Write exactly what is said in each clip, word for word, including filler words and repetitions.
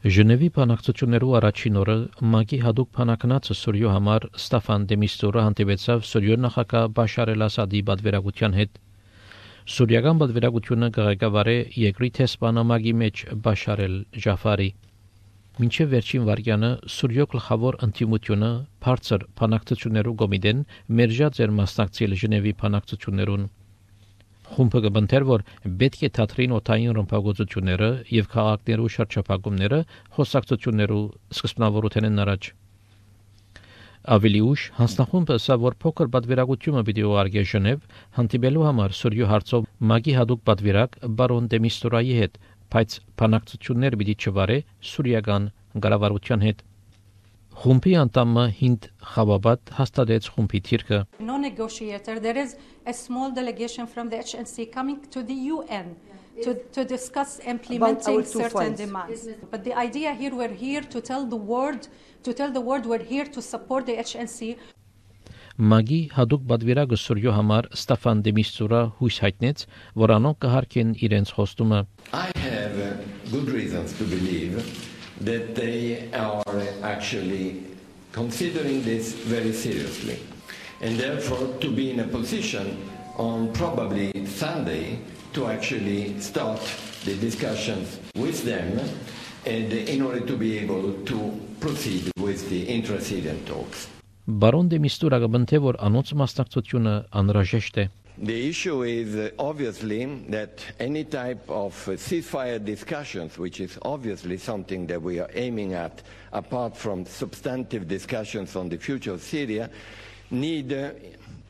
Ժնևի բանակցություններու առաջին օրը ՄԱԿ-ի հadoop բանակնացը Սուրիո համար Ստաֆան դե Միստուրը հանդիպեցավ Սուրիո նախագահ Բաշար էլ-Ասադի պատվիրակության հետ։ Սուրիական պատվիրակությունը կղեկավարե երկրի տեսփանամագի մեջ Բաշար էլ-Ջաֆարի։ Մինչև վերջին վարյանը Սուրիո գլխավոր ընդդիմությունը բարձր բանակցություններու կոմիտեն մերժած էր մասնակցել Ժնևի բանակցություններուն։ Խումբը կբնթեր, որ պետք է թատրին օթային ռմբակոծությունները եւ քաղաքներու շրջափակումները խոսակցություններու սկզբնավորութենեն առաջ։ Ավելի ուշ հանձնախումբը ասա, որ փոքր պատվիրակությունը պիտի ուղարկի Ժնև հանդիպելու համար Սուրիո հարցով ՄԱԿ-ի հadoop պատվիրակ բարոն դե Միստուրայի հետ, բայց բանակցություններ պիտի չվարե սուրիական կառավարության հետ։ Խումբի անդամը Հինդ Խավաբադ հաստատեց խումբի թիրքը։ No negotiator. There is a small delegation from the H N C coming to the U N to, to discuss implementing certain demands. But the idea here, we're here to tell the world, to tell the world we're here to support the H N C. ՄԱԿ-ի հadoop պատվիրակը Սուրիո համար Ստաֆան դե Միստուրը հույս հայտնեց, որ անոնք կհարկեն իրենց խոստումը։ I have uh, good reasons to believe that they are actually considering this very seriously, and therefore to be in a position on probably Sunday to actually start the discussions with them, and in order to be able to proceed with the intra-Syrian talks. Բարոն դե Միստուրը կբնթե, որ անոնց մասնակցությունը անհրաժեշտ է։ The issue is uh, obviously that any type of uh, ceasefire discussions, which is obviously something that we are aiming at, apart from substantive discussions on the future of Syria, need uh,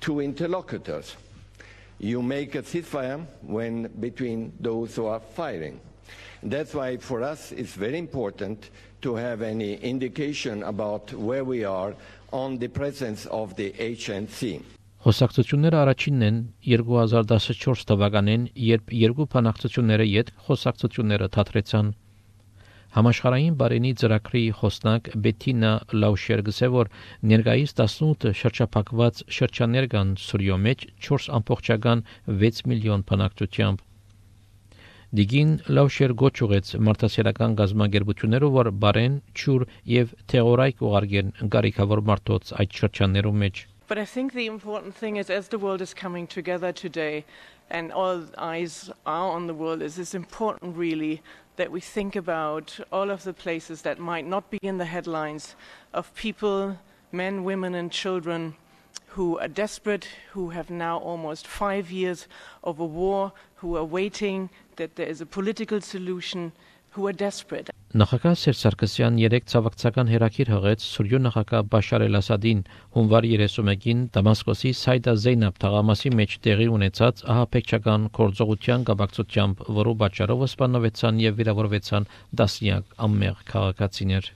two interlocutors. You make a ceasefire when between those who are firing. That's why for us it's very important to have any indication about where we are on the presence of the H N C. Խոսակցությունները առաջինն են երկու հազար տասնչորս թվականին, երբ երկու բանակցությունները յետ խոսակցությունները թատրեցան։ Համաշխարհային բարենի ծրագրի խոսնակ Բետինա Լաուշերգսը, որ ներկայիս տասնութ շրջափակված շրջաններ կան Սուրիո մեջ չորս ամբողջական վեց միլիոն բնակչությամբ։ Դիգին Լաուշեր գոչ ուղեց մարդասիրական գազագերբություններով, որ բարեն, ճուր եւ թեղորայք ուղարկեն գարիքավոր մարդոց այդ շրջաններում մեջ։ But I think the important thing is, as the world is coming together today and all eyes are on the world, is it's important really that we think about all of the places that might not be in the headlines of people, men, women and children who are desperate, who have now almost five years of a war, who are waiting that there is a political solution, who are desperate. Նախագահ Սերժ Սարգսյան երեք ցավակցական հերակիր հղեց Սուրիո նախագահ Բաշար էլ-Ասադին հունվար երեսունմեկին Դամասկոսի Սայդա Զեյնաբ թաղամասի մեջ տեղի ունեցած ահաբեկչական գործողության կապակցությամբ, որով պատճառով սպանվեցան եւ վիրավորվեցան տասնյակ անմեղ քաղաքացիներ։